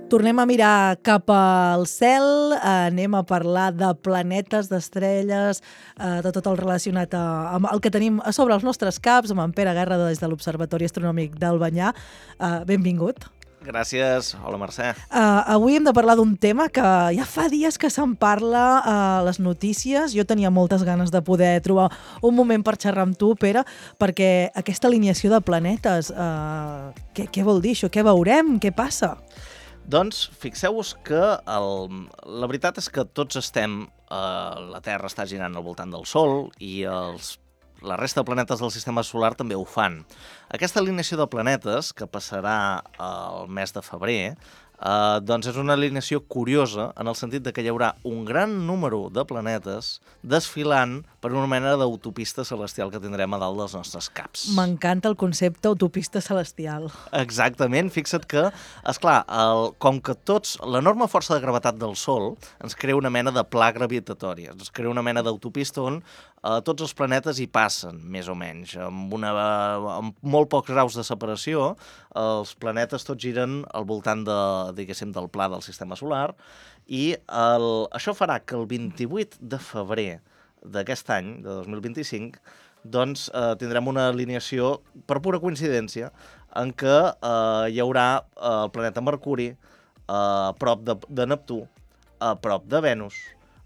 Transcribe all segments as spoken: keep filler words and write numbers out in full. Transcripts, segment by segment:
Tornem a mirar cap al cel, eh, anem a parlar de planetes, d'estrelles, eh, de tot el relacionat a, amb el que tenim a sobre els nostres caps, amb en Pere Guerra des de l'Observatori Astronòmic d'Albanyà. Eh, benvingut. Gràcies. Hola, Mercè. Uh, avui hem de parlar d'un tema que ja fa dies que se'n parla a les notícies. Jo tenia moltes ganes de poder trobar un moment per xerrar amb tu, Pere, perquè aquesta alineació de planetes, uh, què, què vol dir això? Què veurem? Què passa? Doncs fixeu-vos que el, la veritat és que tots estem... Eh, la Terra està girant al voltant del Sol i els la resta de planetes del sistema solar també ho fan. Aquesta alineació de planetes, que passarà el mes de febrer, eh, doncs és una alineació curiosa en el sentit de que hi haurà un gran número de planetes desfilant per una mena d'autopista celestial que tindrem a dalt dels nostres caps. M'encanta el concepte autopista celestial. Exactament. Fixa't que, esclar, el, com que tots, l'enorme força de gravetat del Sol ens crea una mena de pla gravitatori, ens crea una mena d'autopista on eh, tots els planetes hi passen, més o menys. Amb, una, amb molt pocs graus de separació, els planetes tots giren al voltant de, diguéssim, del pla del sistema solar i el, això farà que el vint-i-vuit de febrer d'aquest any, de dos mil vint-i-cinc, doncs eh, tindrem una alineació, per pura coincidència, en què eh, hi haurà eh, el planeta Mercuri eh, a prop de, de Neptú, a prop de Venus,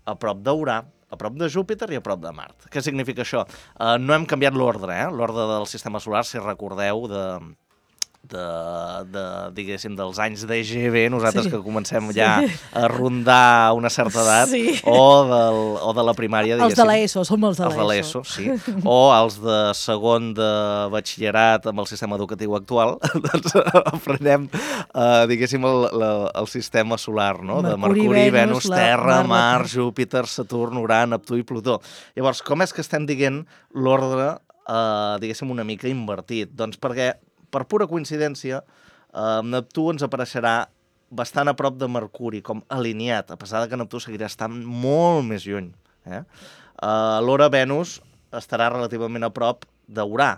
a prop d'Urà, a prop de Júpiter i a prop de Mart. Què significa això? Eh, no hem canviat l'ordre, eh? L'ordre del sistema solar, si recordeu, de... De, de, diguéssim, dels anys de G B, nosaltres sí, que comencem sí. ja a rondar una certa edat, sí. o, del, o de la primària, diguéssim. Els de l'ESO, som els de l'ESO. Els de l'ESO, sí. O els de segon de batxillerat amb el sistema educatiu actual, doncs aprenem, uh, diguéssim, el, la, el sistema solar, no? Mercuri, de Mercuri, Venus, Venus Terra, Mart, Mart, Júpiter, Saturn, Urà, Neptú i Plutó. Llavors, com és que estem dient l'ordre, uh, diguéssim, una mica invertit? Doncs perquè per pura coincidència, eh, Neptú ens apareixerà bastant a prop de Mercuri, com alineat, a pesar que Neptú seguirà estant molt més lluny. Eh? Eh, Alhora, Venus estarà relativament a prop d'Urà,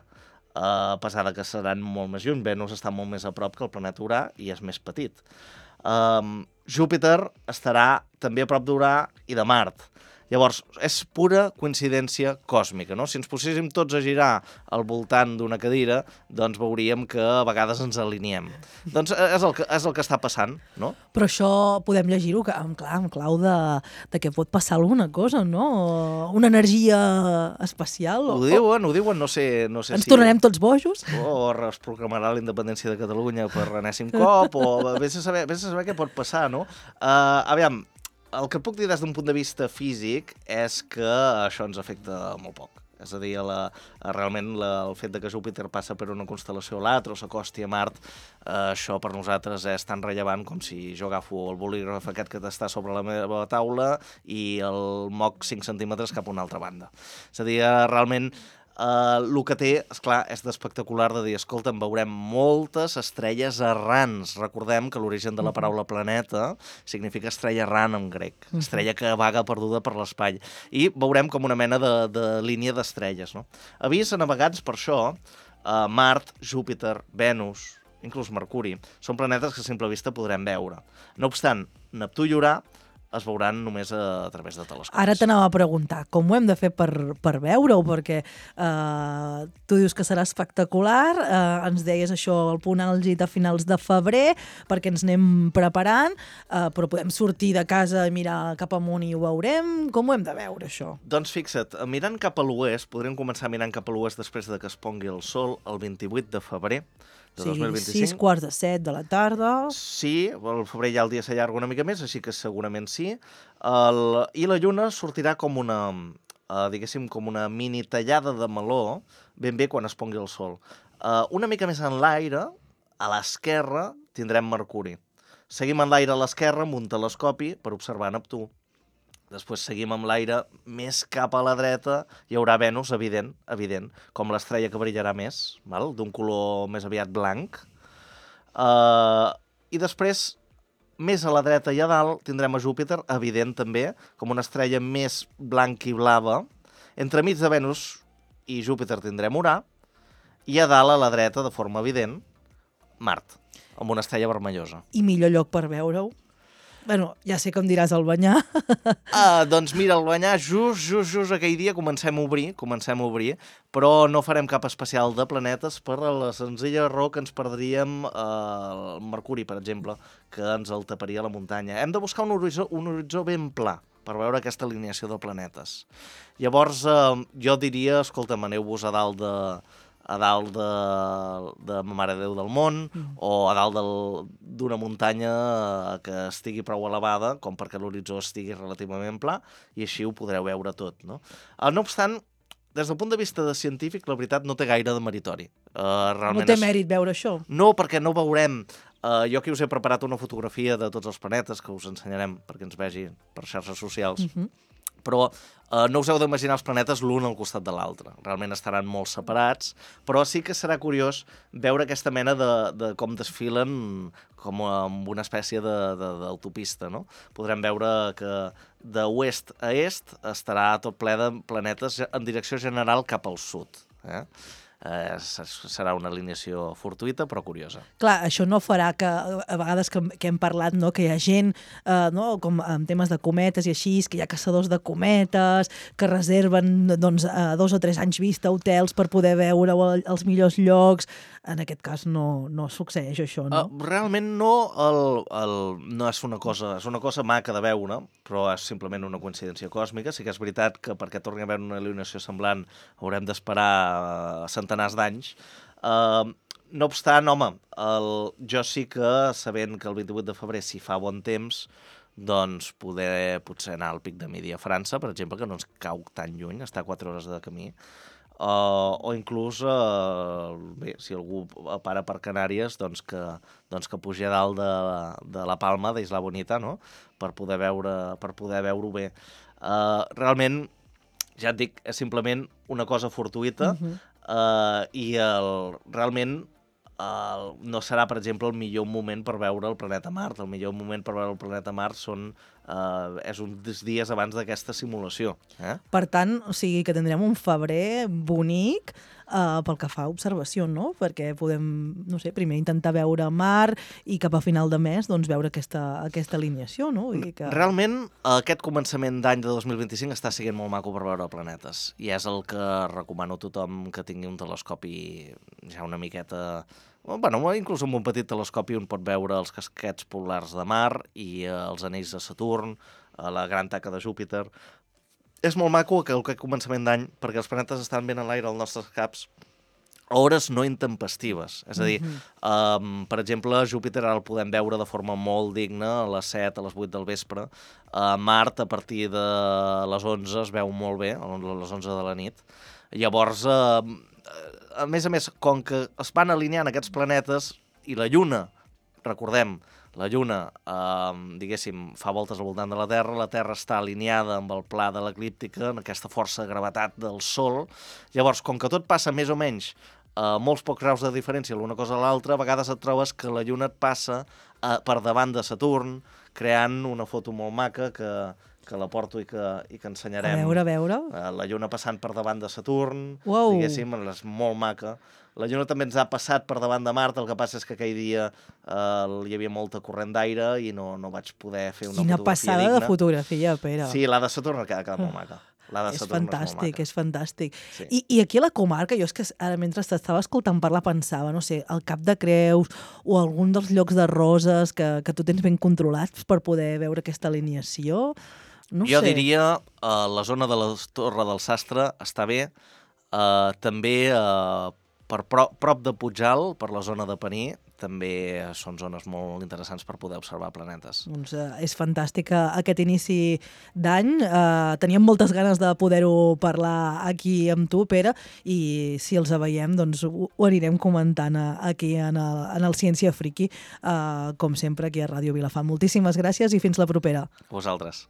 eh, a pesar que seran molt més lluny. Venus està molt més a prop que el planeta Urà i és més petit. Eh, Júpiter estarà també a prop d'Urà i de Mart. Llavors, és pura coincidència còsmica, no? Si ens poséssim tots a girar al voltant d'una cadira, doncs veuríem que a vegades ens alineem. Doncs és el que, és el que està passant, no? Però això podem llegir-ho en, en clau de, de que pot passar alguna cosa, no? Una energia especial. Ho diuen, ho diuen, no sé... No sé ens si... tornarem tots bojos? O es proclamarà la independència de Catalunya per enèsim cop, o vés a saber, vés a saber què pot passar, no? Uh, aviam, el que puc dir des d'un punt de vista físic és que això ens afecta molt poc. És a dir, la, realment la, el fet de que Júpiter passa per una constel·lació a l'altra o s'acosti a Mart, eh, això per nosaltres és tan rellevant com si jo agafo el bolígraf aquest que està sobre la meva taula i el moc cinc centímetres cap a una altra banda. És a dir, realment... Uh, el que té, esclar, és d'espectacular de dir, escolta, en veurem moltes estrelles errants. Recordem que l'origen de la paraula planeta significa estrella errant en grec, estrella que vaga perduda per l'espai. I veurem com una mena de, de línia d'estrelles, no? Avís a navegants, per això, uh, Mart, Júpiter, Venus, inclús Mercuri, són planetes que a simple vista podrem veure. No obstant, Neptú i Urà es veuran només a, a través de telescopis. Ara t'anava a preguntar, com ho hem de fer per, per veure-ho? Perquè eh, tu dius que serà espectacular, eh, ens deies això al punt àlgid a finals de febrer, perquè ens anem preparant, eh, però podem sortir de casa i mirar cap amunt i ho veurem? Com ho hem de veure, això? Doncs fixa't, mirant cap a l'oest, podrem començar mirant cap a l'oest després de que es pongui el sol el vint-i-vuit de febrer de dos mil vint-i-cinc. Sí, sis quarts de set de la tarda. Sí, el febrer ja el dia s'allarga una mica més, així que segurament sí. El, I la lluna sortirà com una, uh, diguéssim, com una mini tallada de meló, ben bé quan es pongui el sol. Uh, una mica més en l'aire, a l'esquerra, tindrem Mercuri. Seguim en l'aire a l'esquerra amb un telescopi per observar Neptú. Després seguim amb l'aire més cap a la dreta, hi haurà Venus, evident, evident, com l'estrella que brillarà més, val? D'un color més aviat blanc. Uh, I després, més a la dreta i a dalt, tindrem a Júpiter, evident també, com una estrella més blanca i blava. Entremig de Venus i Júpiter tindrem Urà, i a dalt, a la dreta, de forma evident, Mart, amb una estrella vermellosa. I millor lloc per veure-ho? Bueno, ja sé com diràs el banyar. Uh, doncs mira, el banyar just, just, just aquell dia comencem a obrir, comencem a obrir, però no farem cap especial de planetes per la senzilla raó que ens perdríem uh, el Mercuri, per exemple, que ens el taparia la muntanya. Hem de buscar un horitzó, un horitzó ben pla per veure aquesta alineació de planetes. Llavors, uh, jo diria, escolta'm, aneu-vos a dalt de... a dalt de, de Mare de Déu del Món, mm. o a dalt d'una muntanya que estigui prou elevada, com perquè l'horitzó estigui relativament pla, i així ho podreu veure tot, no? No obstant, des del punt de vista de científic, la veritat no té gaire de meritori. Uh, no té mèrit veure això? No, perquè no veurem... Uh, jo aquí us he preparat una fotografia de tots els planetes que us ensenyarem perquè ens vegi per xarxes socials. Mm-hmm. Però eh, no us heu d'imaginar els planetes l'un al costat de l'altre. Realment estaran molt separats, però sí que serà curiós veure aquesta mena de, de com desfilen com amb una espècie d'autopista, no? Podrem veure que d'oest a est estarà tot ple de planetes en direcció general cap al sud. Eh? Eh, serà una alineació fortuïta però curiosa. Clar, això no farà que a vegades que, que hem parlat, no, que hi ha gent eh, no, com en temes de cometes i així, que hi ha caçadors de cometes que reserven doncs, a dos o tres anys vista hotels per poder veure els millors llocs. En aquest cas no, no succeeix això, no? Uh, realment no, el, el, no és una cosa, és una cosa maca de veure, però és simplement una coincidència còsmica. Sí que és veritat que perquè torni a haver una il·luminació semblant haurem d'esperar centenars d'anys. Uh, no obstant, home, el, jo sí que, sabent que el vint-i-vuit de febrer, si fa bon temps, doncs poder potser anar al Pic de Midi a França, per exemple, que no ens cau tan lluny, està a quatre hores de camí, Uh, o inclús, uh, bé, si algú para per Canàries, doncs que, doncs que pugi a dalt de, de la Palma, d'Isla Bonita, no? per poder veure per poder veure-ho bé. Uh, realment, ja et dic, és simplement una cosa fortuïta, uh-huh. uh, i el, realment uh, no serà, per exemple, el millor moment per veure el planeta Mart. El millor moment per veure el planeta Mart són Uh, és uns dies abans d'aquesta simulació. Eh? Per tant, o sigui que tindrem un febrer bonic uh, pel que fa a observació, no? Perquè podem, no sé, primer intentar veure Mart i cap a final de mes doncs, veure aquesta, aquesta alineació, no? I que... Realment, aquest començament d'any de dos mil vint-i-cinc està sent molt maco per veure planetes, i és el que recomano a tothom que tingui un telescopi ja una miqueta... Bueno, inclús amb un petit telescopi un pot veure els casquets polars de Mart i eh, els anells de Saturn, eh, la gran taca de Júpiter. És molt maco aquest començament d'any perquè els planetes estan ben a l'aire als nostres caps a hores no intempestives. És a dir, mm-hmm. um, per exemple, Júpiter ara el podem veure de forma molt digna a les set, a les vuit del vespre. Uh, Mart, a partir de les onze, es veu molt bé, a les onze de la nit. Llavors... Uh, a més a més, com que es van alineant aquests planetes i la Lluna, recordem, la Lluna, eh, diguéssim, fa voltes al voltant de la Terra, la Terra està alineada amb el pla de l'eclíptica, en aquesta força de gravetat del Sol. Llavors, com que tot passa més o menys a eh, molts pocs graus de diferència l'una cosa a l'altra, a vegades et trobes que la Lluna et passa eh, per davant de Saturn, creant una foto molt maca que... que la porto i que, i que ensenyarem. A veure, a veure. La Lluna passant per davant de Saturn, wow. diguéssim, és molt maca. La Lluna també ens ha passat per davant de Mart, el que passa és que aquell dia eh, hi havia molta corrent d'aire i no, no vaig poder fer una Quina fotografia passada digna. de fotografia, Pere. Sí, la de Saturn ha quedat molt maca. La de és Saturn fantàstic, és, és fantàstic. Sí. I, I aquí a la comarca, jo és que ara mentre t'estava escoltant parlar pensava, no sé, el Cap de Creus o algun dels llocs de Roses que, que tu tens ben controlats per poder veure aquesta alineació. No jo sé. diria uh, la zona de la Torre del Sastre està bé, uh, també uh, per pro prop de Pujalt, per la zona de Pení, també són zones molt interessants per poder observar planetes. Doncs uh, és fantàstic aquest inici d'any. Uh, teníem moltes ganes de poder-ho parlar aquí amb tu, Pere, i si els veiem, doncs ho, ho anirem comentant aquí en el, en el Ciència Friki, uh, com sempre aquí a Ràdio Vilafant. Moltíssimes gràcies i fins la propera. Vosaltres.